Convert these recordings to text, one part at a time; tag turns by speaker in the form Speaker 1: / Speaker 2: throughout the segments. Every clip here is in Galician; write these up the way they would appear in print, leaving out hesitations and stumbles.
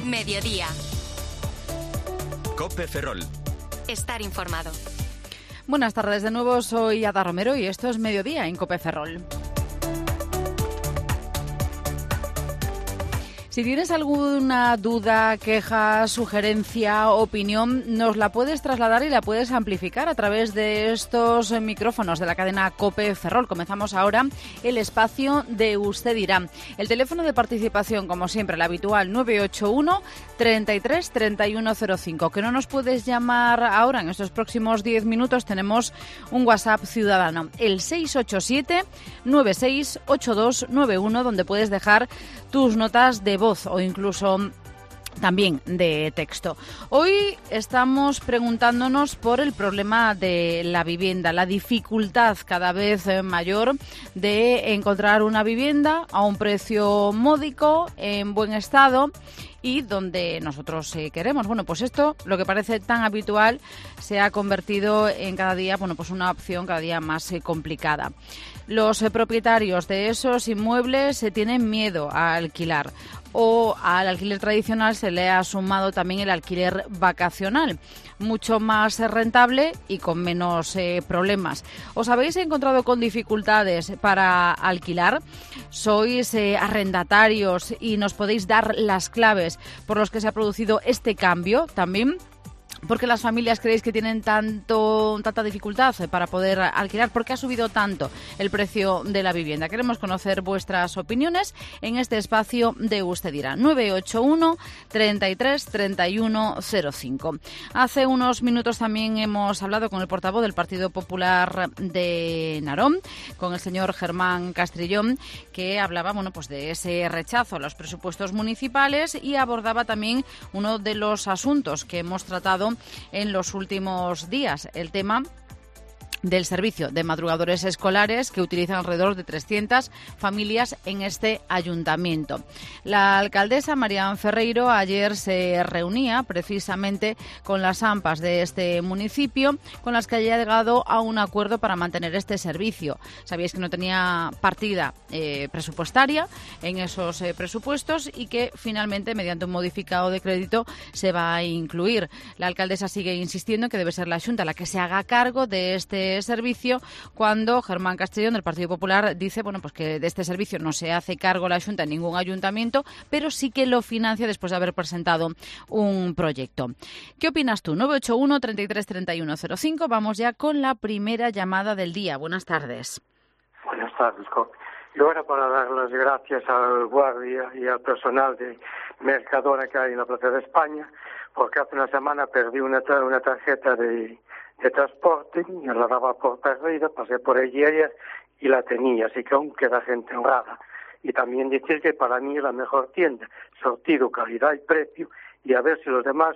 Speaker 1: Mediodía.
Speaker 2: COPE Ferrol.
Speaker 1: Estar informado.
Speaker 3: Buenas tardes de nuevo, soy Ada Romero y esto es Mediodía en COPE Ferrol. Si tienes alguna duda, queja, sugerencia, opinión, nos la puedes trasladar y la puedes amplificar a través de estos micrófonos de la cadena COPE Ferrol. Comenzamos ahora el espacio de Usted dirá. El teléfono de participación, como siempre, el habitual 981 33 3105. Que no nos puedes llamar ahora, en estos próximos 10 minutos tenemos un WhatsApp ciudadano, el 687 968291, donde puedes dejar tus notas de voz o incluso también de texto. Hoy estamos preguntándonos por el problema de la vivienda, la dificultad cada vez mayor de encontrar una vivienda a un precio módico, en buen estado y donde nosotros queremos. Bueno, pues esto, lo que parece tan habitual, se ha convertido en cada día, pues una opción cada día más complicada. Los propietarios de esos inmuebles tienen miedo a alquilar, o al alquiler tradicional se le ha sumado también el alquiler vacacional, mucho más rentable y con menos problemas. ¿Os habéis encontrado con dificultades para alquilar? ¿Sois arrendatarios y nos podéis dar las claves por los que se ha producido este cambio también? ¿Por qué las familias creéis que tienen tanta dificultad para poder alquilar? ¿Por qué ha subido tanto el precio de la vivienda? Queremos conocer vuestras opiniones en este espacio de Usted dirá. 981 33 3105. Hace unos minutos también hemos hablado con el portavoz del Partido Popular de Narón, con el señor Germán Castrillón, que hablaba pues de ese rechazo a los presupuestos municipales y abordaba también uno de los asuntos que hemos tratado en los últimos días, el tema del servicio de madrugadores escolares que utilizan alrededor de 300 familias en este ayuntamiento. La alcaldesa Marián Ferreiro ayer se reunía precisamente con las AMPAs de este municipio, con las que haya llegado a un acuerdo para mantener este servicio. Sabíais que no tenía partida presupuestaria en esos presupuestos y que finalmente, mediante un modificado de crédito, se va a incluir. La alcaldesa sigue insistiendo en que debe ser la Xunta la que se haga cargo de este servicio, cuando Germán Castrillón del Partido Popular dice pues que de este servicio no se hace cargo la Xunta en ningún ayuntamiento, pero sí que lo financia después de haber presentado un proyecto. ¿Qué opinas tú? 981 33 3105. Vamos ya con la primera llamada del día. Buenas tardes.
Speaker 4: Buenas tardes, Copi. Yo era para dar las gracias al guardia y al personal de Mercadona que hay en la Plaza de España, porque hace una semana perdí una tarjeta de transporte, me la daba por perdida, pasé por allí ayer y la tenía, así que aún queda gente honrada. Y también decir que para mí es la mejor tienda, sortido, calidad y precio, y a ver si los demás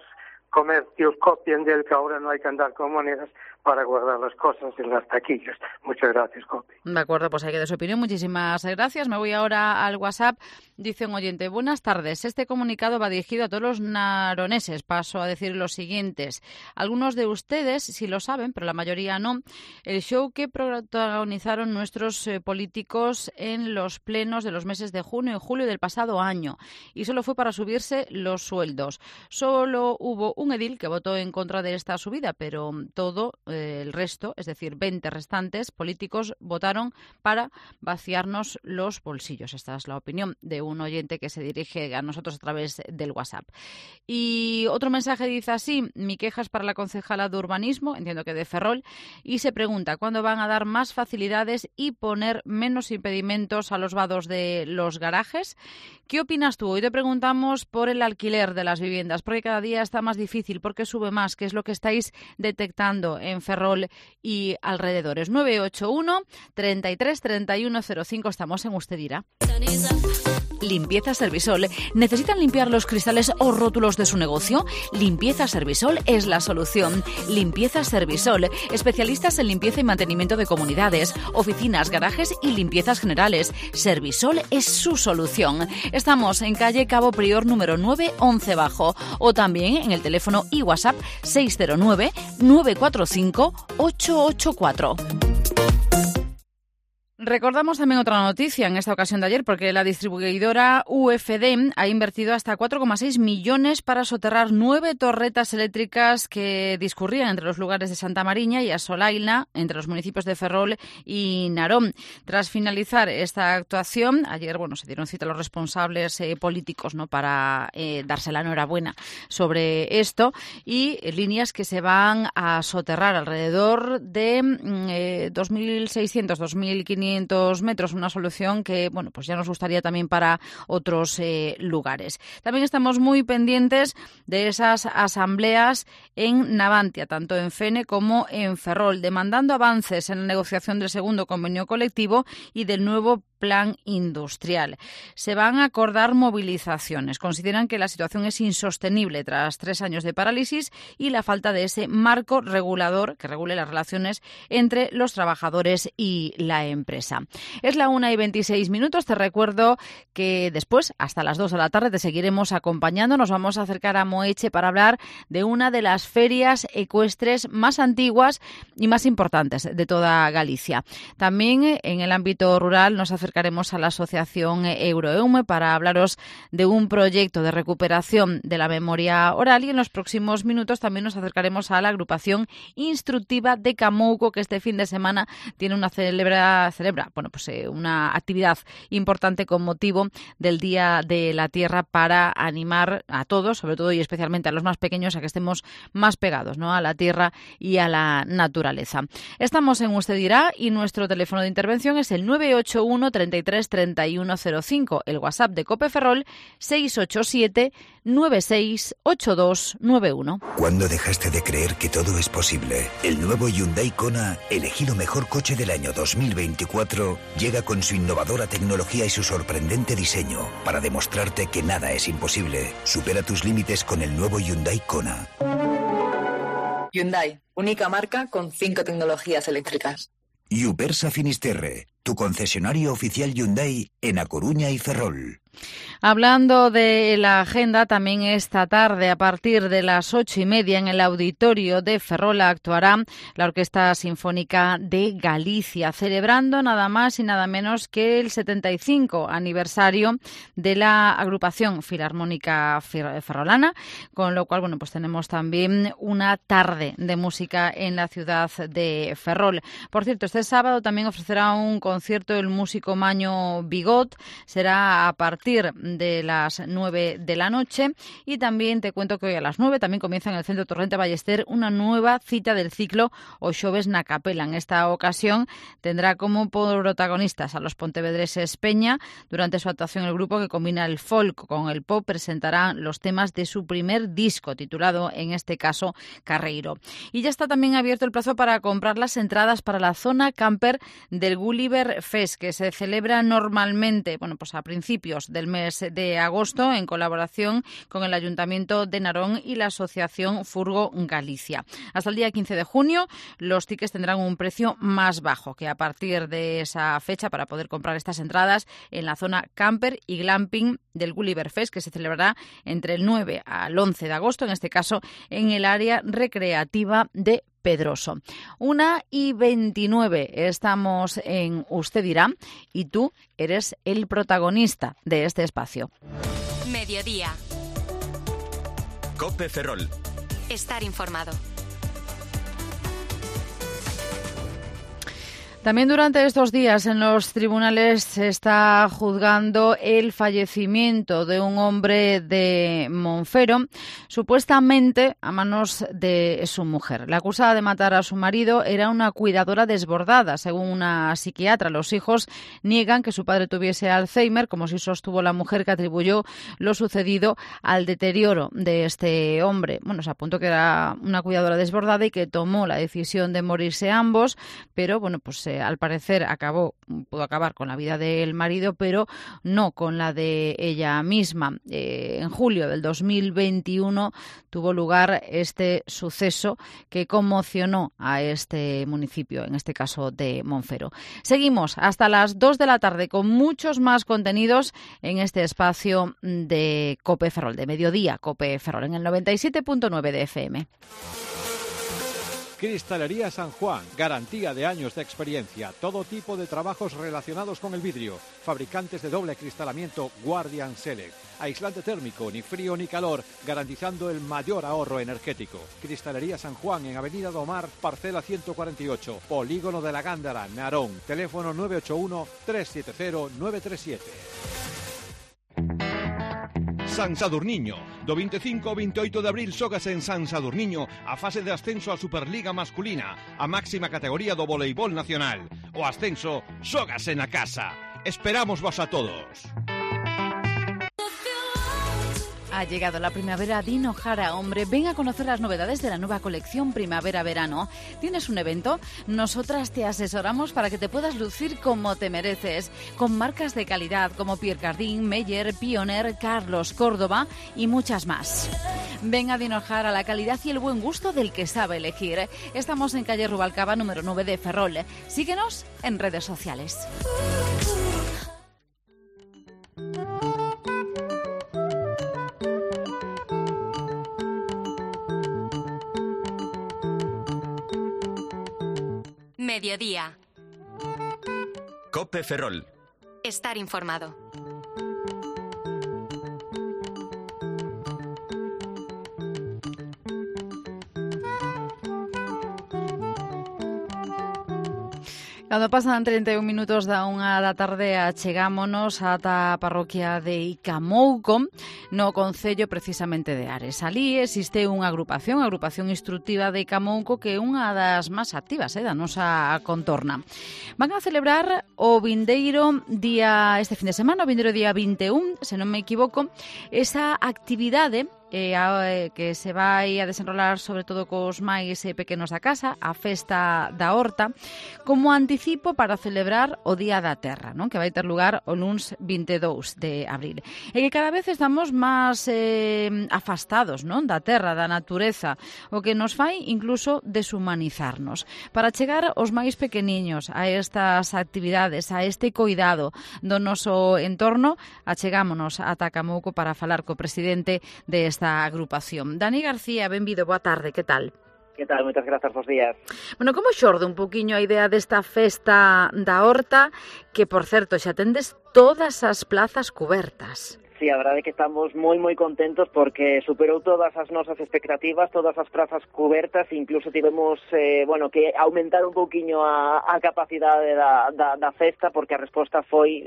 Speaker 4: comercios copian de él, que ahora no hay que andar con monedas para guardar las cosas en las taquillas. Muchas gracias, Copi.
Speaker 3: De acuerdo, pues hay que dar su opinión. Muchísimas gracias. Me voy ahora al WhatsApp. Dice un oyente: buenas tardes. Este comunicado va dirigido a todos los naroneses. Paso a decir los siguientes. Algunos de ustedes sí lo saben, pero la mayoría no. El show que protagonizaron nuestros políticos en los plenos de los meses de junio y julio del pasado año. Y solo fue para subirse los sueldos. Solo hubo un edil que votó en contra de esta subida, pero todo el resto, es decir, 20 restantes políticos, votaron para vaciarnos los bolsillos. Esta es la opinión de un oyente que se dirige a nosotros a través del WhatsApp. Y otro mensaje dice así: mi queja es para la concejala de urbanismo, entiendo que de Ferrol, y se pregunta cuándo van a dar más facilidades y poner menos impedimentos a los vados de los garajes. ¿Qué opinas tú? Hoy te preguntamos por el alquiler de las viviendas, porque cada día está más difícil, porque sube más. ¿Qué es lo que estáis detectando en Ferrol y alrededores? 981 33 3105. Estamos en Usted dirá.
Speaker 5: Limpieza Servisol. ¿Necesitan limpiar los cristales o rótulos de su negocio? Limpieza Servisol es la solución. Limpieza Servisol. Especialistas en limpieza y mantenimiento de comunidades, oficinas, garajes y limpiezas generales. Servisol es su solución. Estamos en calle Cabo Prior número 9, 11 Bajo, o también en el teléfono y WhatsApp 609 945 884.
Speaker 3: Recordamos también otra noticia en esta ocasión de ayer, porque la distribuidora UFD ha invertido hasta 4,6 millones para soterrar 9 torretas eléctricas que discurrían entre los lugares de Santa Mariña y Asolaina, entre los municipios de Ferrol y Narón. Tras finalizar esta actuación, ayer se dieron cita a los responsables políticos, ¿no?, para darse la enhorabuena sobre esto, y líneas que se van a soterrar alrededor de 2.600, 2.500 metros, una solución que ya nos gustaría también para otros lugares. También estamos muy pendientes de esas asambleas en Navantia, tanto en Fene como en Ferrol, demandando avances en la negociación del segundo convenio colectivo y del nuevo plan industrial. Se van a acordar movilizaciones. Consideran que la situación es insostenible tras 3 años de parálisis y la falta de ese marco regulador que regule las relaciones entre los trabajadores y la empresa. Es la 1:26. Te recuerdo que después, hasta las 2 de la tarde, te seguiremos acompañando. Nos vamos a acercar a Moeche para hablar de una de las ferias ecuestres más antiguas y más importantes de toda Galicia. También en el ámbito rural nos acercaremos a la asociación Euroeume para hablaros de un proyecto de recuperación de la memoria oral, y en los próximos minutos también nos acercaremos a la agrupación instructiva de Camouco, que este fin de semana tiene una una actividad importante con motivo del Día de la Tierra, para animar a todos, sobre todo y especialmente a los más pequeños, a que estemos más pegados, ¿no?, a la tierra y a la naturaleza. Estamos en Usted Dirá y nuestro teléfono de intervención es el 981 33 3105, el WhatsApp de COPE Ferrol 687 968291.
Speaker 2: ¿Cuándo dejaste de creer que todo es posible? El nuevo Hyundai Kona, elegido mejor coche del año 2024, llega con su innovadora tecnología y su sorprendente diseño para demostrarte que nada es imposible. Supera tus límites con el nuevo Hyundai Kona.
Speaker 6: Hyundai, única marca con 5 tecnologías eléctricas.
Speaker 2: Yupersa Finisterre, tu concesionario oficial Hyundai en A Coruña y Ferrol.
Speaker 3: Hablando de la agenda, también esta tarde a partir de las 8:30 en el auditorio de Ferrol actuará la Orquesta Sinfónica de Galicia, celebrando nada más y nada menos que el 75 aniversario de la agrupación filarmónica ferrolana, con lo cual tenemos también una tarde de música en la ciudad de Ferrol. Por cierto, este sábado también ofrecerá un concierto el músico Maño Bigot, será a partir de las 9 de la noche, y también te cuento que hoy a las 9 también comienza en el Centro Torrente Ballester una nueva cita del ciclo O Xoves na Capela. En esta ocasión tendrá como protagonistas a los pontevedreses Peña. Durante su actuación, el grupo, que combina el folk con el pop, presentará los temas de su primer disco, titulado en este caso Carreiro. Y ya está también abierto el plazo para comprar las entradas para la zona camper del Gulliver Fest, que se celebra normalmente a principios del mes de agosto, en colaboración con el Ayuntamiento de Narón y la Asociación Furgo Galicia. Hasta el día 15 de junio los tickets tendrán un precio más bajo que a partir de esa fecha, para poder comprar estas entradas en la zona camper y glamping del Gulliver Fest, que se celebrará entre el 9 al 11 de agosto, en este caso en el área recreativa de Pedroso. 1:29. Estamos en Usted Dirá y tú eres el protagonista de este espacio.
Speaker 1: Mediodía.
Speaker 7: COPE Ferrol.
Speaker 1: Estar informado.
Speaker 3: También durante estos días en los tribunales se está juzgando el fallecimiento de un hombre de Monfero, supuestamente a manos de su mujer. La acusada de matar a su marido era una cuidadora desbordada, según una psiquiatra. Los hijos niegan que su padre tuviese Alzheimer, como si sostuvo la mujer, que atribuyó lo sucedido al deterioro de este hombre. Se apuntó que era una cuidadora desbordada y que tomó la decisión de morirse ambos, pero al parecer pudo acabar con la vida del marido, pero no con la de ella misma. En julio del 2021 tuvo lugar este suceso que conmocionó a este municipio, en este caso de Monfero. Seguimos hasta las 2 de la tarde con muchos más contenidos en este espacio de COPE Ferrol, de Mediodía COPE Ferrol, en el 97.9 de FM.
Speaker 7: Cristalería San Juan, garantía de años de experiencia, todo tipo de trabajos relacionados con el vidrio, fabricantes de doble acristalamiento Guardian Select, aislante térmico, ni frío ni calor, garantizando el mayor ahorro energético. Cristalería San Juan en Avenida Domar, parcela 148, Polígono de la Gándara, Narón, teléfono 981-370-937.
Speaker 8: San Sadurniño. Do 25 ao 28 de abril xógase en San Sadurniño a fase de ascenso á Superliga masculina, a máxima categoría do voleibol nacional. O ascenso xógase na casa. Esperamos vos a todos.
Speaker 5: Ha llegado la primavera Dino Jara, hombre. Ven a conocer las novedades de la nueva colección Primavera-Verano. ¿Tienes un evento? Nosotras te asesoramos para que te puedas lucir como te mereces, con marcas de calidad como Pierre Cardin, Meyer, Pioneer, Carlos, Córdoba y muchas más. Ven a Dino Jara, la calidad y el buen gusto del que sabe elegir. Estamos en calle Rubalcaba, número 9 de Ferrol. Síguenos en redes sociales.
Speaker 1: Mediodía.
Speaker 9: Cope Ferrol.
Speaker 1: Estar informado.
Speaker 3: Cando pasan 31 minutos da 1 da tarde, achegámonos ata a parroquia de Icamouco, no concello precisamente de Ares. Alí existe unha agrupación instructiva de Icamouco que é unha das máis activas da nosa contorna. Van a celebrar o vindeiro día, este fin de semana, o vindeiro día 21, se non me equivoco, esa actividade que se vai a desenrolar sobre todo cos máis pequenos da casa, a festa da horta, como anticipo para celebrar o Día da Terra, non? Que vai ter lugar o luns 22 de abril. E que cada vez estamos máis afastados, non? Da terra, da natureza, o que nos fai incluso deshumanizarnos. Para chegar os máis pequeniños a estas actividades, a este cuidado do noso entorno, achegámonos ata Camouco para falar co presidente desta agrupación. Dani García, benvido, boa tarde, que tal?
Speaker 10: Que tal? Moitas grazas, bons días.
Speaker 3: Bueno, como xorde un poquinho a idea desta festa da horta, que, por certo, xa tendes todas as plazas cubertas?
Speaker 10: Sí, a verdade é que estamos moi contentos porque superou todas as nosas expectativas, todas as prazas cubertas, incluso tivemos que aumentar un pouquiño a capacidade da festa porque a resposta foi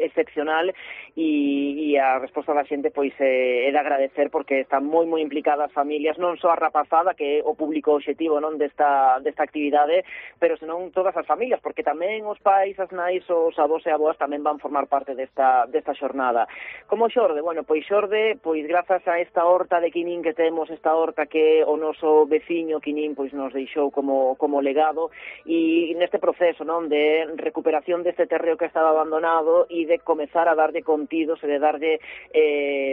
Speaker 10: excepcional e a resposta da xente pois é de agradecer porque están moi implicadas as familias, non só a rapazada que é o público obxectivo non desta actividade, pero senón todas as familias, porque tamén os pais, as nais, os avós e aboas tamén van formar parte desta xornada. Como xorde? Bueno, pois xorde, pois grazas a esta horta de Quinín que temos, esta horta que o noso veciño Quinín pois nos deixou como legado e neste proceso, non, de recuperación deste terreo que estaba abandonado e de comezar a darlle contidos e de darlle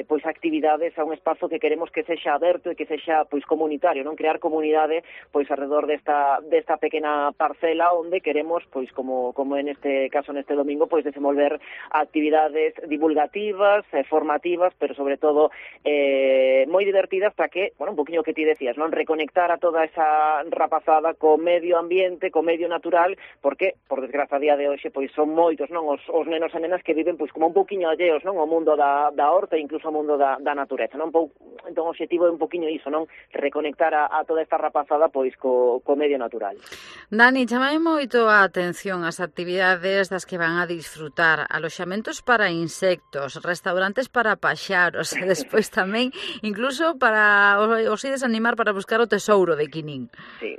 Speaker 10: pois actividades a un espazo que queremos que sexa aberto e que sexa pois comunitario, non, crear comunidade pois alrededor desta pequena parcela onde queremos pois como en este caso neste domingo pois desenvolver actividades divulgativas, formativas, pero sobre todo moi divertidas para que, bueno, un poquinho que ti decías, non, reconectar a toda esa rapazada co medio ambiente, co medio natural, porque, por desgraza, a día de hoxe, pois son moitos, non, os nenos e nenas que viven pois como un poquinho alleos, non, ao mundo da horta e incluso ao mundo da natureza, non? Entón, o objetivo é un poquinho iso, non, reconectar a toda esta rapazada pois co medio natural.
Speaker 3: Dani, chamame moito a atención as actividades das que van a disfrutar, aloxamentos para insectos, restaurantes para paxaros, e despois tamén incluso para os ides animar para buscar o tesouro de Quinín.
Speaker 10: Sí,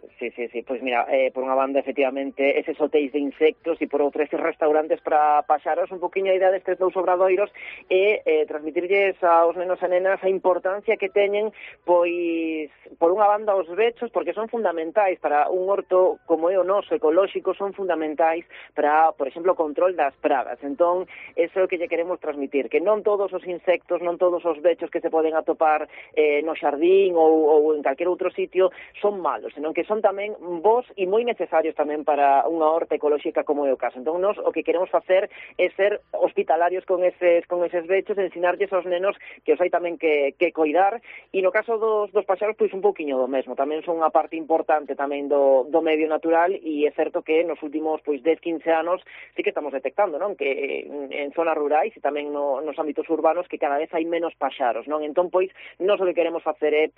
Speaker 10: pois mira, por unha banda efectivamente eses hotéis de insectos e por outra eses restaurantes para paxaros, un poquinho a idea destes dous obradoiros e transmitirlles aos nenos e nenas a importancia que teñen, pois por unha banda os bechos, porque son fundamentais para un horto como é o noso ecolóxico, son fundamentais para, por exemplo, o control das pragas. Entón, eso é o que lle queremos transmitir, que non todos os insectos, non todos os bechos que se poden atopar no xardín ou en calquer outro sitio son malos, senón que son tamén bons e moi necesarios tamén para unha horta ecolóxica como é o caso. Entón, nos o que queremos facer é ser hospitalarios con eses bechos, ensinarlles aos nenos que os hai tamén que coidar facilitar, e no caso dos paxaros, pois un pouquiño do mesmo, tamén son unha parte importante tamén do medio natural, e é certo que nos últimos 10-15 anos sí que estamos detectando, non, que en zonas rurais e tamén nos ámbitos urbanos que cada vez hai menos paxaros, non? Entón, pois, nós o que queremos facer é,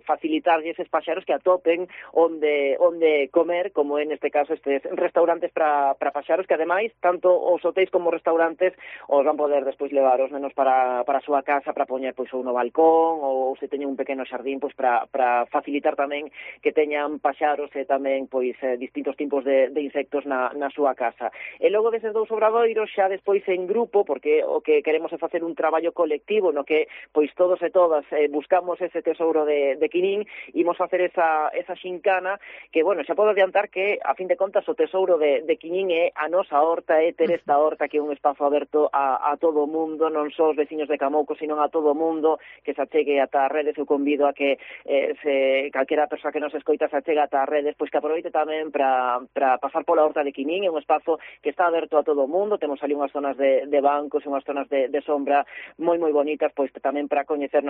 Speaker 10: facilitarlle eses paxaros que atopen onde comer, como en este caso estes restaurantes para paxaros, que ademais, tanto os hotéis como os restaurantes os van poder despois levar os nenos para a súa casa para poñer pois ou no balcón, ou se teñen un pequeno xardín, pois para facilitar tamén que teñan paxaros e tamén pois distintos tipos de insectos na súa casa. E logo deses dous obradoiros, xa despois en grupo, porque o que queremos é facer un traballo colectivo no que pois todos e todas buscamos ese tesouro de Quinín, imos facer esa xincana que, bueno, xa podo adiantar que, a fin de contas, o tesouro de Quinín é a nosa horta, é ter esta horta que é un espazo aberto a todo o mundo, non só os veciños de Camouco, sino a todo o mundo que se achegue ata as redes. Eu convido a que se calquera persoa que nos escoita se achega ata as redes, pois que aproveite tamén para pasar pola horta de Quinín. É un espazo que está aberto a todo o mundo, temos ali unhas zonas de bancos e unhas zonas de sombra moi bonitas, pois tamén para coñecer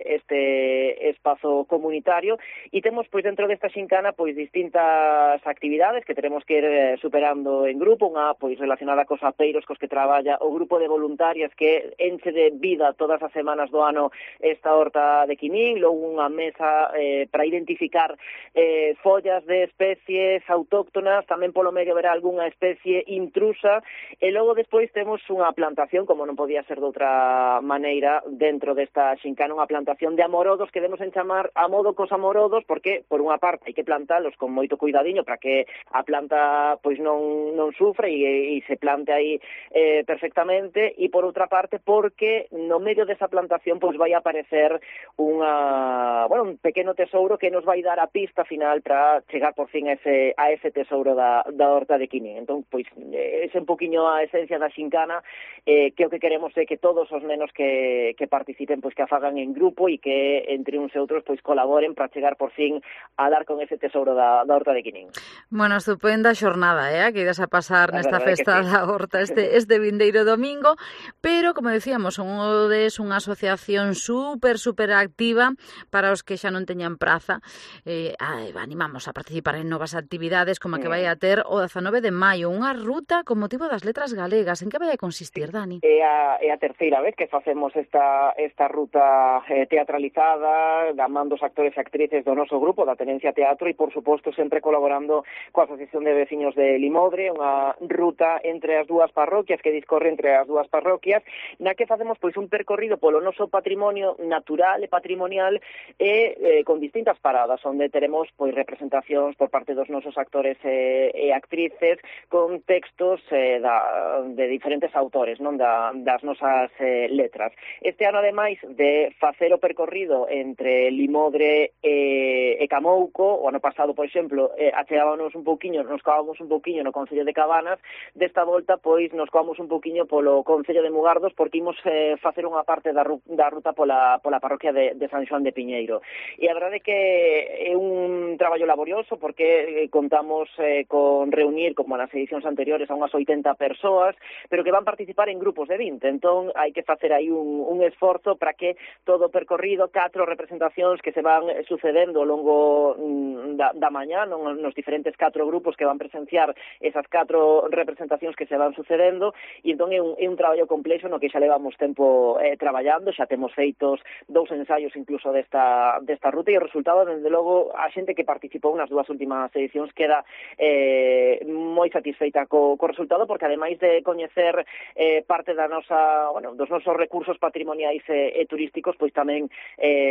Speaker 10: este espazo comunitario, e temos pois dentro desta xincana pois distintas actividades que teremos que ir superando en grupo, unha pois relacionada cos apeiros cos que traballa o grupo de voluntarias que enche de vida todas as semanas do ano esta horta de Quinín, logo unha mesa para identificar follas de especies autóctonas, tamén polo medio verá algunha especie intrusa, e logo despois temos unha plantación, como non podía ser de outra maneira, dentro desta xincana, unha plantación de amorodos que demos en chamar a modo cos amorodos, porque por unha parte hai que plantalos con moito cuidadiño para que a planta pois non sufra e se plante aí perfectamente, e por outra parte porque no medio desa plantación pois vai aparecer un pequeno tesouro que nos vai dar a pista final para chegar por fin a ese tesouro da horta de Quinín. Entón, pois, ese un poquinho a esencia da xincana, que o que queremos é que todos os nenos que participen, pois que a fagan en grupo e que entre uns e outros pois colaboren para chegar por fin a dar con ese tesouro da horta de Quinín.
Speaker 3: Bueno, estupenda xornada, que idas a pasar nesta festa da horta este vindeiro domingo, pero, como decíamos, sodes unha asociación super activa para os que xa non teñan praza. Animamos a participar en novas actividades, como a que vai a ter o 19 de maio, unha ruta con motivo das letras galegas. En que vai a consistir, Dani?
Speaker 10: É a terceira vez que facemos esta ruta teatralizada, da man dos actores e actrices do noso grupo, da Tenencia Teatro, e, por suposto, sempre colaborando coa Asociación de Veciños de Limodre, unha ruta entre as dúas parroquias, que discorre entre as dúas parroquias, na que facemos pois un percorrido polo noso patrimonio natural e patrimonial e con distintas paradas, onde teremos pois representacións por parte dos nosos actores e actrices con textos de diferentes autores, non, das nosas letras. Este ano, ademais de facer o percorrido entre Limodre e Camouco, o ano pasado, por exemplo, nos coábamos un pouquiño no Concello de Cabanas, desta volta, pois, nos coamos un pouquiño polo Concello de Mugardos, porque imos facer unha parte da ruta pola parroquia de San Xoán de Piñeiro. E a verdade é que é un traballo laborioso, porque contamos con reunir, como nas edicións anteriores, a unhas 80 persoas, pero que van participar en grupos de 20. Entón, hai que facer aí un esforzo para que todo o percorrido, 4 representacións que se van sucedendo ao longo da mañá, nos diferentes 4 grupos que van presenciar esas 4 representacións que se van sucedendo, e entón é un traballo complexo no que xa levamos tempo traballando, xa temos feitos 2 ensaios incluso desta ruta, e o resultado, desde logo, a xente que participou nas 2 últimas edicións queda moi satisfeita co resultado, porque ademais de coñecer parte dos nosos recursos patrimoniais e turísticos, pois tamén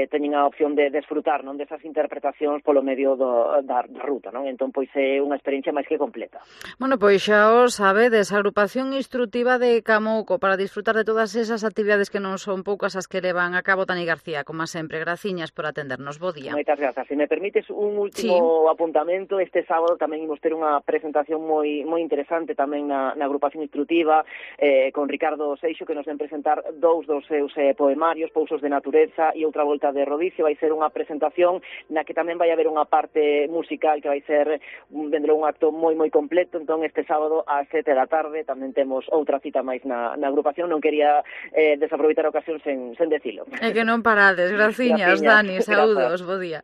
Speaker 10: teñen a opción de desfrutar, non, desas interpretacións polo medio da ruta, non? Entón, pois é unha experiencia máis que completa.
Speaker 3: Bueno, pois xa o sabedes, a agrupación instructiva de Camouco para disfrutar de todas esas actividades que non son poucas as que levan a cabo. Dani García, como sempre, graciñas por atendernos. Bo día.
Speaker 10: Moitas grazas. Se me permites un último apuntamento, este sábado tamén imos ter unha presentación moi interesante tamén na agrupación instructiva con Ricardo Seixo, que nos ven presentar 2 dos seus poemarios, Pousos de Natureza e Outra Volta de Rodicio. Vai ser unha presentación na que tamén vai haber unha parte musical que vai ser un acto moi completo. Entón, este sábado ás 7 da tarde tamén temos outra cita máis na agrupación. Non quería desaproveitar a ocasión sen decir dicilo.
Speaker 3: É que non parades, graciñas, Dani, saúdos, bo día.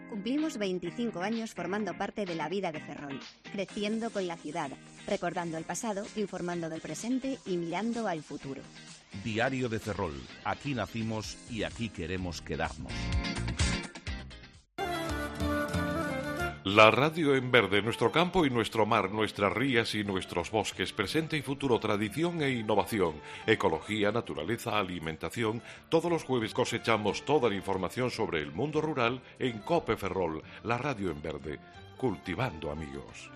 Speaker 9: Cumplimos 25 años formando parte de la vida de Ferrol, creciendo con la ciudad, recordando el pasado, informando del presente y mirando al futuro.
Speaker 11: Diario de Ferrol. Aquí nacimos y aquí queremos quedarnos.
Speaker 12: La radio en verde, nuestro campo y nuestro mar, nuestras rías y nuestros bosques, presente y futuro, tradición e innovación, ecología, naturaleza, alimentación. Todos los jueves cosechamos toda la información sobre el mundo rural en COPE Ferrol, la radio en verde, cultivando amigos.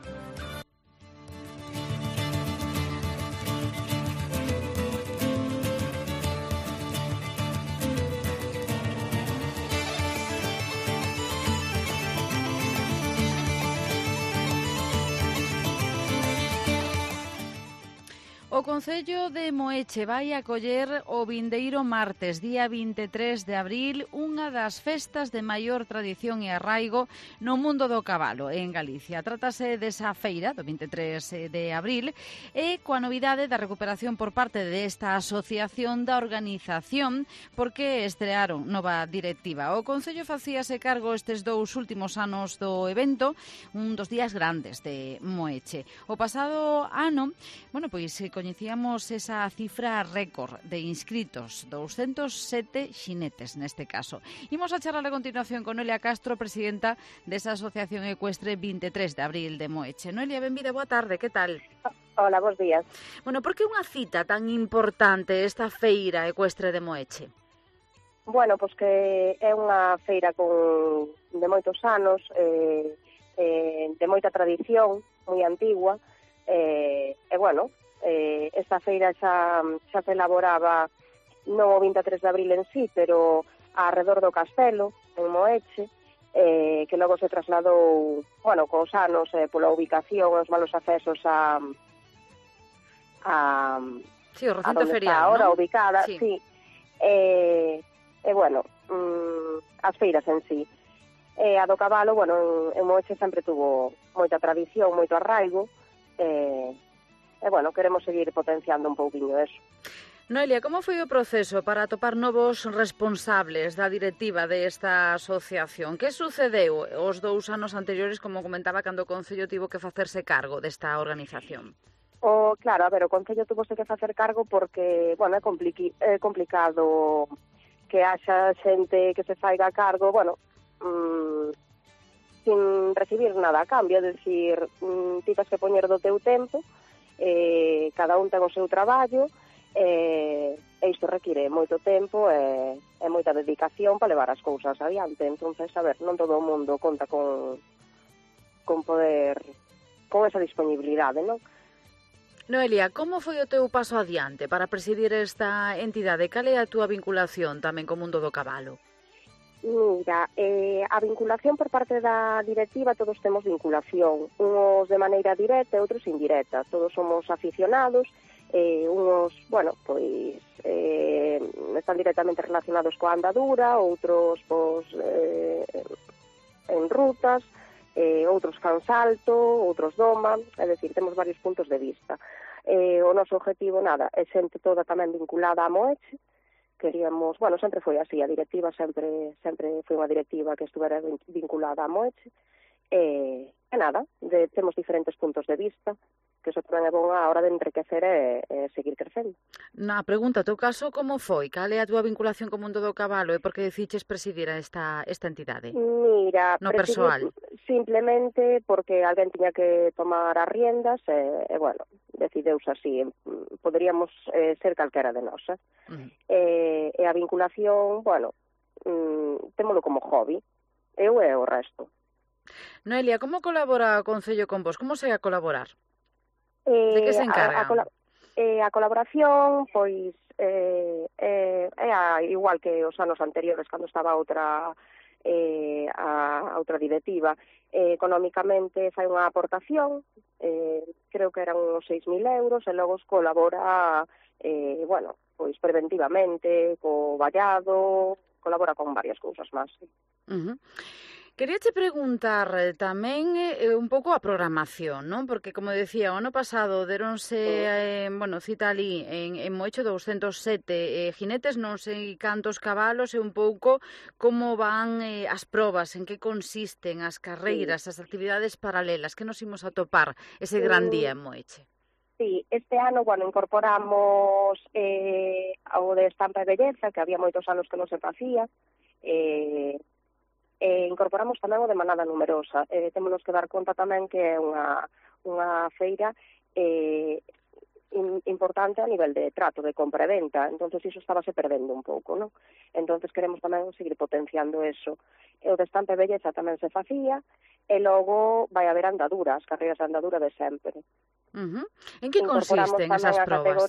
Speaker 3: O Concello de Moeche vai acoller o vindeiro martes, día 23 de abril, unha das festas de maior tradición e arraigo no mundo do cabalo en Galicia. Trátase desa feira do 23 de abril e coa novidade da recuperación por parte desta asociación da organización porque estrearon nova directiva. O Concello facíase cargo estes 2 últimos anos do evento, un dos días grandes de Moeche. O pasado ano, pois coñecíamos esa cifra récord de inscritos, 207 xinetes neste caso. Imos a charlar a continuación con Noelia Castro, presidenta desa Asociación Ecuestre 23 de abril de Moeche. Noelia, benvida, boa tarde, que tal?
Speaker 13: Hola, bons días.
Speaker 3: Por que unha cita tan importante esta feira ecuestre de Moeche?
Speaker 13: Pois que é unha feira de moitos anos, de moita tradición, moi antigua, esta feira xa se elaboraba non o 23 de abril en sí, pero alrededor do castelo, en Moeche, que logo se trasladou, cos anos, pola ubicación, os malos accesos
Speaker 3: sí, o recinto ferial,
Speaker 13: ahora
Speaker 3: ¿no?
Speaker 13: ubicada, sí. As feiras en sí. A do cabalo, en Moeche sempre tuvo moita tradición, moito arraigo, queremos seguir potenciando un pouquiño eso.
Speaker 3: Noelia, como foi o proceso para atopar novos responsables da directiva desta asociación? Que sucedeu os 2 anos anteriores, como comentaba, cando o Concello tivo que facerse cargo desta organización?
Speaker 13: Claro, o Concello tuvose que facer cargo porque, é complicado que haxa xente que se faiga cargo, sin recibir nada a cambio, é dicir, ti tes que poñer do teu tempo, cada un ten o seu traballo, e isto require moito tempo e moita dedicación para levar as cousas adiante. Entonces, non todo o mundo conta con poder, con esa disponibilidade, non?
Speaker 3: Noelia, como foi o teu paso adiante para presidir esta entidade? Cal é a túa vinculación tamén co mundo do cabalo?
Speaker 13: Mira, a vinculación por parte da directiva, todos temos vinculación, unos de maneira directa e outros indirecta, todos somos aficionados, unos, están directamente relacionados coa andadura, outros, en rutas, outros fan salto, outros doma, é dicir, temos varios puntos de vista. O noso objetivo, é xente toda tamén vinculada a Moeche. Queríamos, sempre foi así, a directiva sempre foi unha directiva que estuvera vinculada a Moeche, temos diferentes puntos de vista, que iso tamén é bon a hora de enriquecer e seguir crecendo.
Speaker 3: Na pregunta, teu caso, como foi? Cal é a túa vinculación co mundo do cabalo e por que deciches presidir esta entidade?
Speaker 13: Mira,
Speaker 3: no persoal.
Speaker 13: Simplemente porque alguén tiña que tomar as riendas e decideuse así. Poderíamos ser calquera de nós. E a vinculación, témolo como hobby. Eu e o resto.
Speaker 3: Noelia, como colabora o Concello con vos? Como se a colaborar? De que se encarga?
Speaker 13: A colaboración, pois, igual que os anos anteriores, cando estaba a outra directiva. Económicamente fai unha aportación, creo que eran uns 6.000 euros, e logo colabora, pois preventivamente, co vallado, colabora con varias cousas máis.
Speaker 3: Queríache preguntar tamén un pouco a programación, non? Porque, como decía, o ano pasado deronse cita ali en Moeche 207 jinetes, non sei cantos cabalos, e un pouco como van as probas, en que consisten as carreiras, as actividades paralelas, que nos imos a topar ese gran día en Moeche.
Speaker 13: Sí, este ano, incorporamos ao de estampa e belleza, que había moitos anos que non se facía, incorporamos tamén o de manada numerosa. Témonos que dar conta tamén que é unha feira importante a nivel de trato, de compra e venta, entonces iso estábase perdendo un pouco, non? Entonces queremos tamén seguir potenciando eso. O de estampa e belleza tamén se facía, e logo vai haber andadura, as carreiras de andadura de sempre.
Speaker 3: En que consisten esas probas?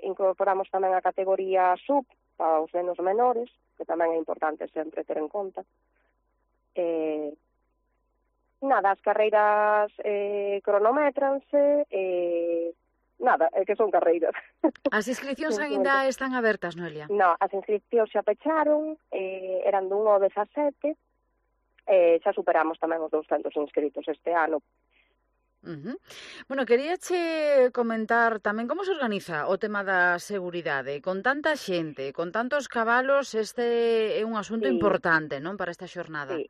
Speaker 13: Incorporamos tamén a categoría sub para os nenos menores, que tamén é importante sempre ter en conta. As carreiras cronométranse, que son carreiras.
Speaker 3: As inscripcións aínda están abertas, Noelia?
Speaker 13: Non, as inscripcións xa pecharon, eran dun ao 17, xa superamos tamén os 200 inscritos este ano.
Speaker 3: Bueno, queríache comentar tamén como se organiza o tema da seguridade. Con tanta xente, con tantos cabalos, este é un asunto importante, non, para esta xornada?
Speaker 13: Sí.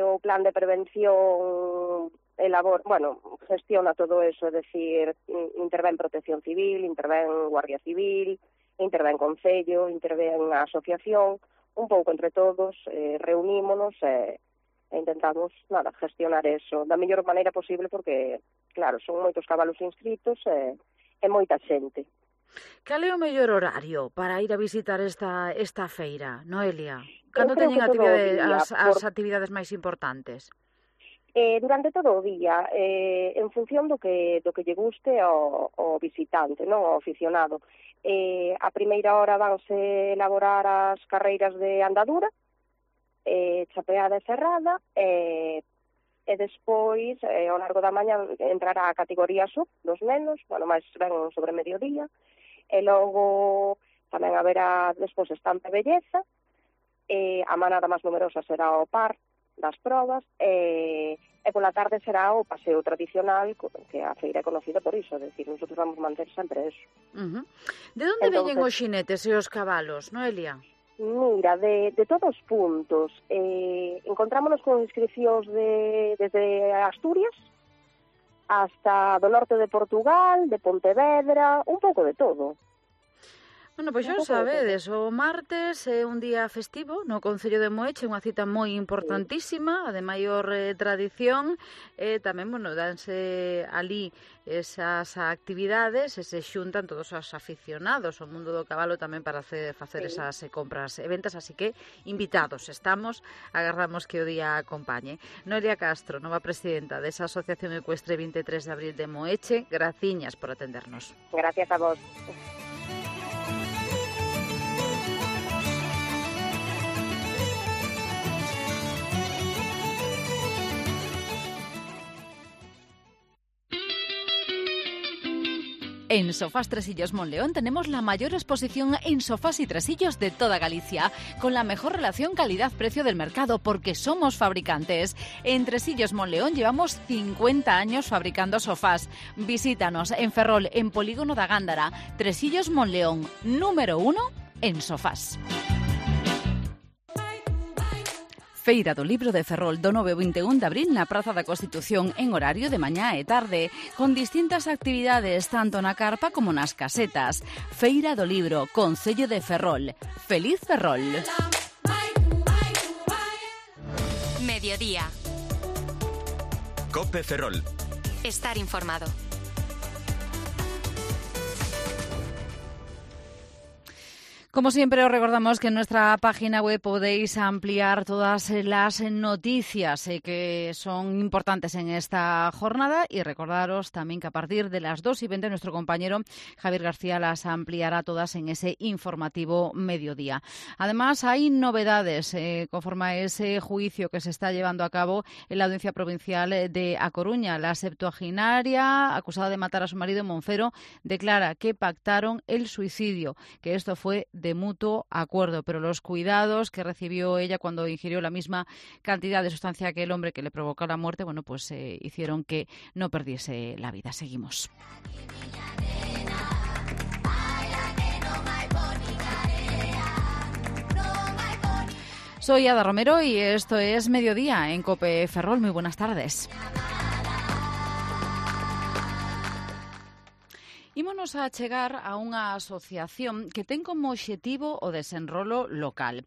Speaker 13: O plan de prevención gestiona todo eso, é dicir, intervén Protección Civil, intervén Guardia Civil, intervén Concello, intervén a asociación, un pouco entre todos, reunímonos e intentamos gestionar eso da mellor maneira posible porque, claro, son moitos cabalos inscritos e moita xente.
Speaker 3: Cal é o mellor horario para ir a visitar esta feira, Noelia? Cando teñen as actividades máis importantes?
Speaker 13: Durante todo o día, en función do que lle guste ao visitante, non ao aficionado. A primeira hora vanse elaborar as carreiras de andadura, chapeada e cerrada, e despois, ao largo da mañá, entrará a categoría sub dos nenos, máis ben sobre mediodía, e logo tamén haberá despois estampa e belleza, a manada máis numerosa será o par das probas, e pola tarde será o paseo tradicional, que a feira é conocida por iso, é dicir, nosotros vamos manter sempre eso.
Speaker 3: De onde veñen os xinetes e os cabalos, Noelia?
Speaker 13: Mira, de todos os puntos. Encontrámonos con inscripcións desde Asturias hasta do norte de Portugal, de Pontevedra, un pouco de todo.
Speaker 3: Bueno, pois xa o sabedes, o martes é un día festivo no Concello de Moeche, unha cita moi importantísima, a de maior tradición, e tamén, danse ali esas actividades e se xuntan todos os aficionados ao mundo do cabalo tamén para facer esas compras e ventas, así que invitados estamos, agardamos que o día acompañe. Noelia Castro, nova presidenta desa Asociación Ecuestre 23 de Abril de Moeche, graciñas por atendernos.
Speaker 13: Gracias a vos.
Speaker 5: En Sofás Tresillos Monleón tenemos la mayor exposición en sofás y tresillos de toda Galicia, con la mejor relación calidad-precio del mercado, porque somos fabricantes. En Tresillos Monleón llevamos 50 años fabricando sofás. Visítanos en Ferrol, en Polígono da Gándara. Tresillos Monleón, número 1 en sofás. Feira do Libro de Ferrol do 9 ao 21 de abril na Praza da Constitución en horario de mañá e tarde, con distintas actividades tanto na carpa como nas casetas. Feira do Libro, Concello de Ferrol. Feliz Ferrol.
Speaker 1: Mediodía.
Speaker 14: COPE Ferrol.
Speaker 1: Estar informado.
Speaker 3: Como siempre, os recordamos que en nuestra página web podéis ampliar todas las noticias que son importantes en esta jornada y recordaros también que a partir de las 2:20 nuestro compañero Javier García las ampliará todas en ese informativo mediodía. Además, hay novedades conforme a ese juicio que se está llevando a cabo en la Audiencia Provincial de A Coruña. La septuagenaria, acusada de matar a su marido en Monfero, declara que pactaron el suicidio, que esto fue de mutuo acuerdo, pero los cuidados que recibió ella cuando ingirió la misma cantidad de sustancia que el hombre que le provocó la muerte, bueno, pues hicieron que no perdiese la vida. Seguimos. Soy Ada Romero y esto es Mediodía en COPE Ferrol. Muy buenas tardes. Ímonos a chegar a unha asociación que ten como obxectivo o desenrolo local.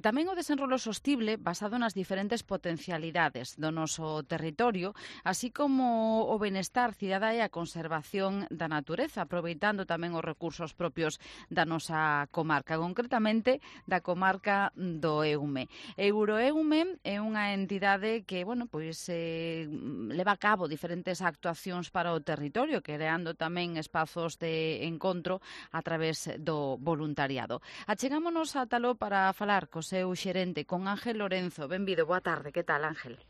Speaker 3: Tamén o desenrolo sostible basado nas diferentes potencialidades do noso territorio, así como o benestar cidadá e a conservación da natureza, aproveitando tamén os recursos propios da nosa comarca, concretamente da comarca do Eume. Euroeume é unha entidade que, bueno, pois leva a cabo diferentes actuacións para o territorio, creando tamén espazos de encontro a través do voluntariado. Achegámonos a talo para falar co seu xerente, con Ángel Lorenzo. Benvido, boa tarde. Que tal, Ángel?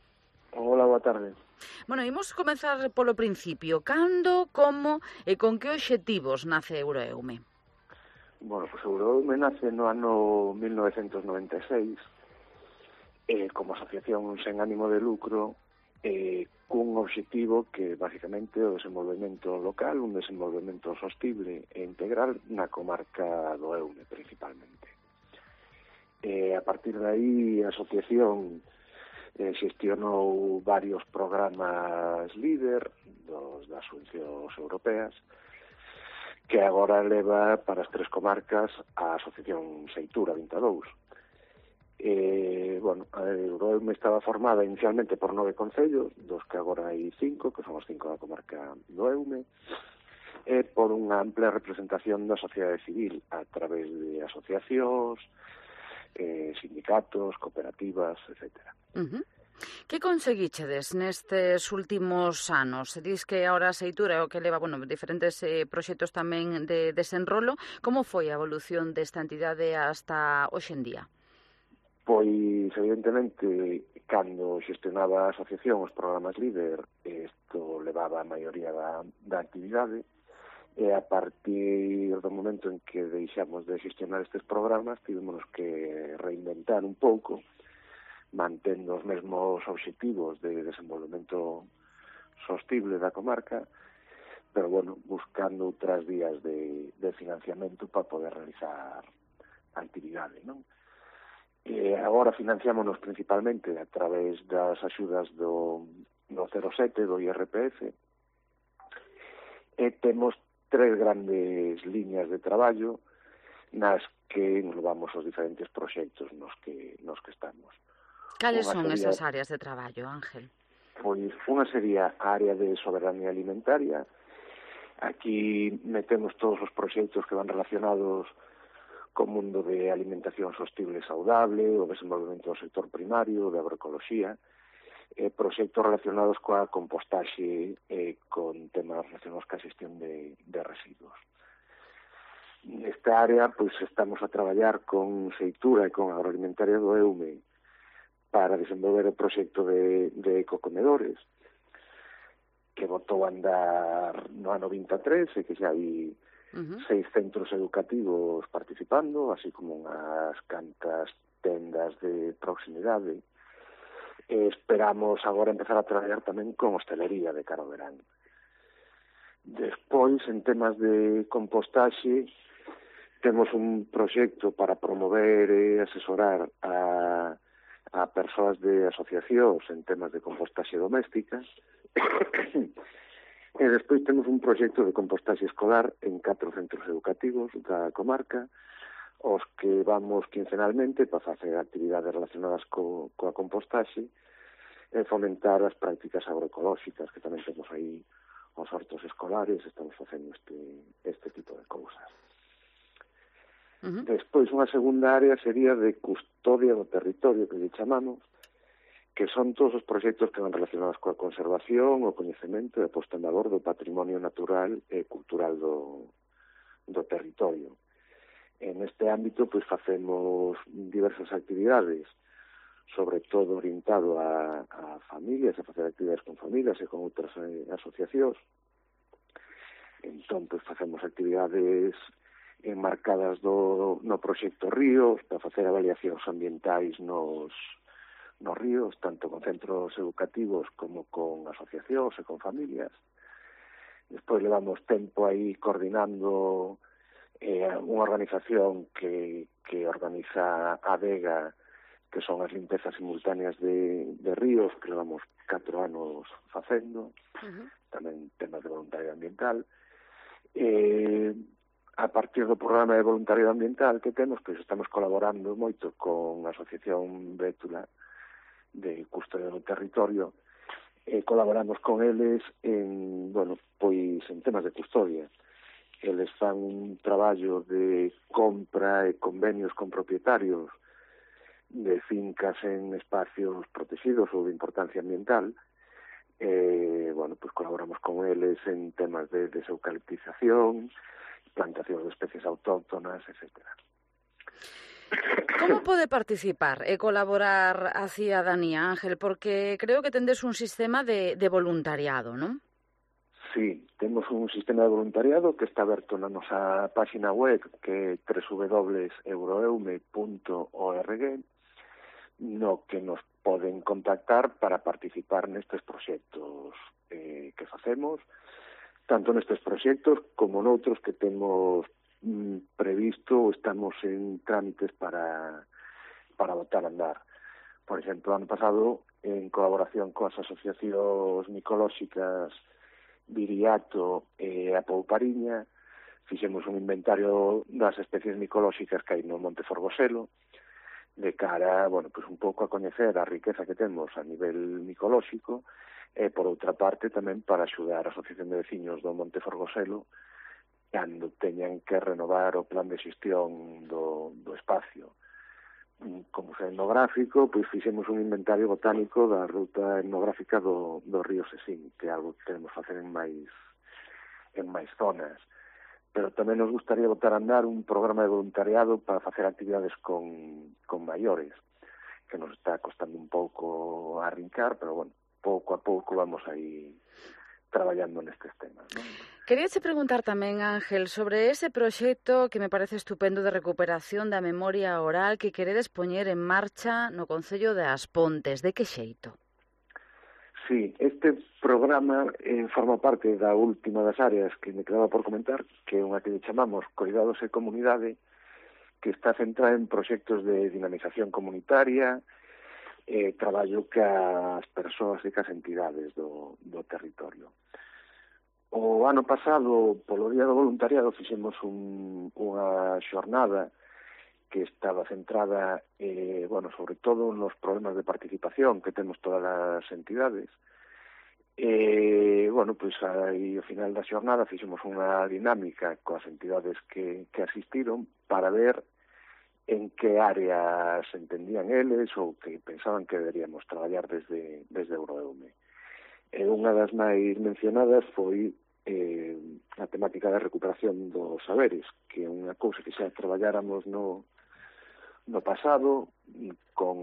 Speaker 14: Hola, boa tarde.
Speaker 3: Bueno, imos comezar polo principio. Cando, como e con que obxectivos nace Euroeume?
Speaker 14: Bueno, pues Euroeume nace no ano 1996 como asociación sen ánimo de lucro cun objetivo que basicamente o desenvolvemento local, un desenvolvemento sostible e integral na comarca do Eume principalmente. A partir de aí a asociación xestionou varios programas líder das subvencións europeas que agora leva para as tres comarcas a asociación Seitura 22. Euroeume estaba formada inicialmente por 9 concellos, dos que agora hai 5, que son os 5 da comarca do Eume, e por unha ampla representación da sociedade civil a través de asociacións, sindicatos, cooperativas, etc.
Speaker 3: Que conseguichedes nestes últimos anos? Se dis que ahora a Seitura é o que leva, diferentes proxectos tamén de desenrolo. Como foi a evolución desta entidade hasta hoxe en día?
Speaker 14: Pois, evidentemente, cando xestionaba a asociación os programas líder, isto levaba a maioría da actividade, e a partir do momento en que deixamos de xestionar estes programas, tivemos que reinventar un pouco, mantendo os mesmos obxectivos de desenvolvemento sostible da comarca, pero, buscando outras vías de financiamento para poder realizar a actividade, non? Agora financiámonos principalmente a través das axudas do 07, do IRPF, e temos 3 grandes líneas de traballo nas que englobamos os diferentes proxectos nos que estamos.
Speaker 3: Cales son esas áreas de traballo, Ángel?
Speaker 14: Pois unha sería a área de soberanía alimentaria. Aquí metemos todos os proxectos que van relacionados co mundo de alimentación sostible e saudable, o desenvolvemento do sector primario, de agroecoloxía, proxectos relacionados coa compostaxe e con temas relacionados coa xestión de residuos. Nesta área, estamos a traballar con Seitura e con Agroalimentaria do Eume para desenvolver o proxecto de ecocomedores, que botou a andar no ano 23 e que xa hai 6 centros educativos participando, así como unhas cantas tendas de proximidade. Esperamos agora empezar a traballar tamén con hostelería de cara ao verán. Despois, en temas de compostaxe, temos un proxecto para promover e asesorar a persoas de asociacións en temas de compostaxe doméstica. E despois temos un proxecto de compostaxe escolar en 4 centros educativos da comarca, os que vamos quincenalmente para facer actividades relacionadas coa compostaxe e fomentar as prácticas agroecolóxicas, que tamén temos aí os hortos escolares, estamos facendo este tipo de cousas. Despois, unha segunda área sería de custodia do territorio, que lle chamamos, que son todos os proxectos que van relacionados coa conservación, o coñecemento e a posta en valor do patrimonio natural e cultural do territorio. En este ámbito, facemos diversas actividades, sobre todo orientado a familias, a facer actividades con familias e con outras asociacións. Entón, facemos actividades enmarcadas no proxecto Ríos, para facer avaliacións ambientais nos ríos, tanto con centros educativos como con asociacións e con familias. Despois levamos tempo aí coordinando unha organización que organiza a Vega, que son as limpezas simultáneas de ríos, que levamos 4 anos facendo, tamén temas de voluntariado ambiental. A partir do programa de voluntariado ambiental que temos, pois estamos colaborando moito con a Asociación Bétula de Custodia do Territorio, colaboramos con eles en temas de custodia. Eles fan un traballo de compra e convenios con propietarios de fincas en espacios protegidos ou de importancia ambiental. Pues colaboramos con eles en temas de deseucaliptización, plantacións de especies autóctonas, etcétera.
Speaker 3: Como pode participar e colaborar a cidadanía, Ángel? Porque creo que tendes un sistema de voluntariado, non?
Speaker 14: Sí, temos un sistema de voluntariado que está aberto na nosa página web, que é www.euroeume.org, no que nos poden contactar para participar nestes proxectos que facemos, tanto nestes proxectos como noutros que temos previsto ou estamos en trámites para botar a andar. Por exemplo, ano pasado, en colaboración coas asociacións micolóxicas Viriato e a Poupariña, fixemos un inventario das especies micolóxicas que hai no Monte Forgoselo, de cara, pues un pouco a coñecer a riqueza que temos a nivel micolóxico, e, por outra parte, tamén para axudar a Asociación de Veciños do Monte Forgoselo cando teñan que renovar o plan de xestión do espacio. Como sei etnográfico, pois fixemos un inventario botánico da ruta etnográfica do río Sesín, que é algo que queremos facer en máis zonas. Pero tamén nos gustaría botar a andar un programa de voluntariado para facer actividades con maiores, que nos está costando un pouco arrincar, pero, pouco a pouco vamos aí traballando nestes temas, non?
Speaker 3: Queríache preguntar tamén, Ángel, sobre ese proxecto que me parece estupendo de recuperación da memoria oral que queredes poñer en marcha no Concello de As Pontes. De que xeito?
Speaker 14: Sí, este programa forma parte da última das áreas que me quedaba por comentar, que é unha que chamamos Coidados e Comunidade, que está centrada en proxectos de dinamización comunitaria, traballo cas persoas e cas entidades do territorio. O ano pasado, polo Día do Voluntariado, fixemos unha xornada que estaba centrada, sobre todo nos problemas de participación que temos todas as entidades. Aí, ao final da xornada, fixemos unha dinámica coas entidades que asistiron para ver en que áreas entendían eles ou que pensaban que deberíamos traballar desde Euroeume. Unha das máis mencionadas foi a temática da recuperación dos saberes, que é unha cousa que xa traballáramos no pasado co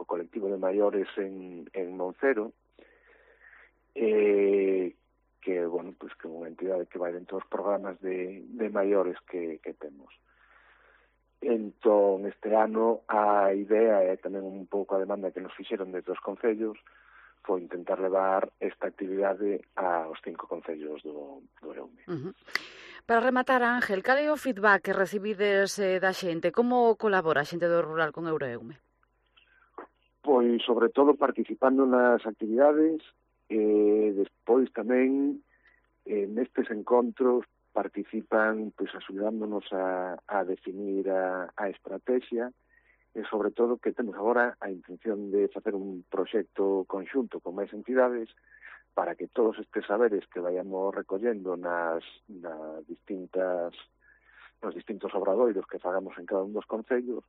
Speaker 14: colectivo de maiores en Moncero, que é unha entidade que vai dentro dos programas de maiores que temos. Entón, este ano, a idea é tamén un pouco a demanda que nos fixeron desde os concellos, foi intentar levar esta actividade aos 5 concellos do Eume.
Speaker 3: Para rematar, Ángel, cal é o feedback que recibides da xente? Como colabora a xente do rural con Euroeume?
Speaker 14: Pois, sobre todo, participando nas actividades, despois tamén nestes encontros participan axudándonos a definir a estrategia e, sobre todo, que temos agora a intención de facer un proxecto conxunto con máis entidades para que todos estes saberes que vayamos recollendo nos distintos obradoiros que fagamos en cada un dos concellos,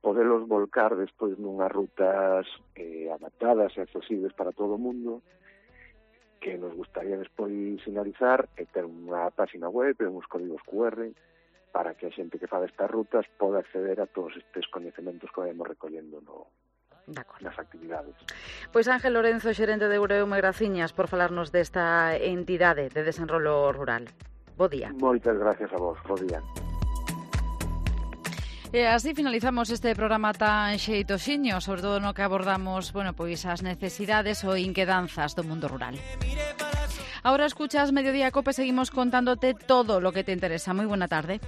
Speaker 14: podelos volcar despois nunhas rutas adaptadas e accesibles para todo o mundo, que nos gustaría despois sinalizar e ter unha página web e uns códigos QR para que a xente que fa destas rutas poda acceder a todos estes coñecementos que vayamos recollendo nas actividades.
Speaker 3: Pois Ángel Lorenzo, xerente de Euroeume, graciñas por falarnos desta entidade de desenrolo rural. Bo día.
Speaker 14: Moitas gracias a vos, bo día.
Speaker 3: E así finalizamos este programa tan xeitoxiño, sobre todo no que abordamos, bueno, pois as necesidades ou inquedanzas do mundo rural. Ahora escuchas Mediodía Cope, seguimos contándote todo lo que te interesa. Muy buena tarde.